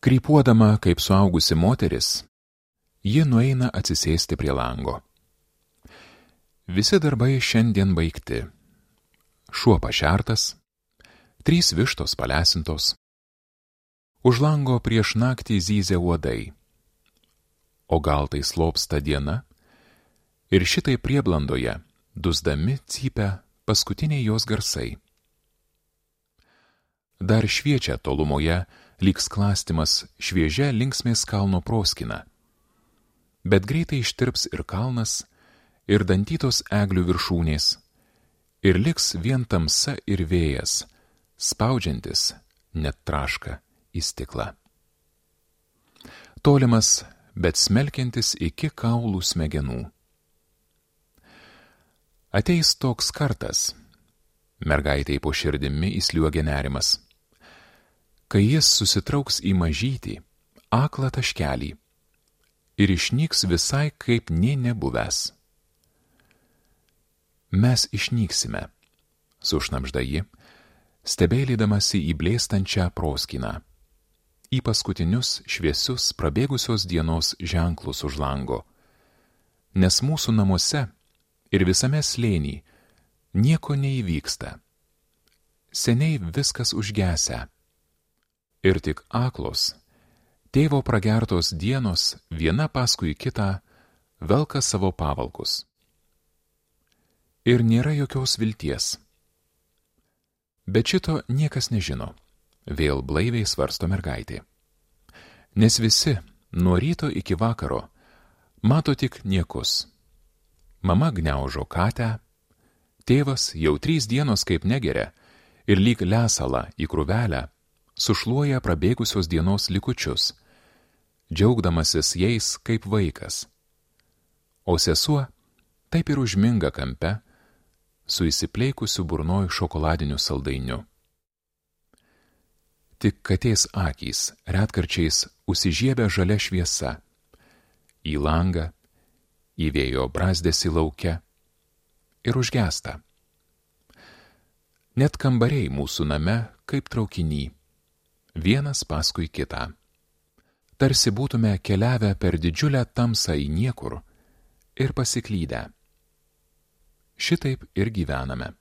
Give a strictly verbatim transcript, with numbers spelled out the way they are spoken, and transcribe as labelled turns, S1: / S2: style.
S1: Krypuodama kaip suaugusi moteris, ji nueina atsisėsti prie lango. Visi darbai šiandien baigti. Šuo pašertas, trys vištos palesintos. Už lango prieš naktį zyzia uodai. O gal tai slopsta diena? Ir šitai prieblandoje, dusdami, cypia paskutiniai jos garsai. Dar šviečia tolumoje, lyg sklastimas šviežia linksmės kalno proskina. Bet greitai ištirps ir kalnas, ir dantytos eglių viršūnės, ir liks vien tamsa ir vėjas, spaudžiantis net traška į stiklą. Tolimas, bet smelkiantis iki kaulų smegenų. Ateis toks kartas, mergaitei po širdimi įsliuogia nerimas, kai jis susitrauks į mažytį, aklą taškelį ir išnyks visai kaip nė nebuvęs. Mes išnyksime, sušnabžda ji, stebėlydamasi į blėstančią proskyną, į paskutinius šviesius prabėgusios dienos ženklus už lango, nes mūsų namuose ir visame slėny nieko neįvyksta. Seniai viskas užgesę. Ir tik aklos, tėvo pragertos dienos viena paskui kitą velka savo pavalkus. Ir nėra jokios vilties. Bet šito niekas nežino, vėl blaiviai svarsto mergaitė. Nes visi, nuo ryto iki vakaro, mato tik niekus. Mama gniaužo katę, tėvas jau trys dienos kaip negeria ir lyg lesalą į krūvelę sušluoja prabėgusios dienos likučius, džiaugdamasis jais kaip vaikas. O sesuo taip ir užminga kampe su įsipleikusiu burnoj šokoladiniu saldainiu. Tik katės akys retkarčiais užsižiebia žalia šviesa, į langą, į vėjo brazdesį lauke ir užgesta. Net kambariai mūsų name kaip traukiny, vienas paskui kitą. Tarsi būtume keliavę per didžiulę tamsą į niekur ir pasiklydę. Šitaip ir gyvename.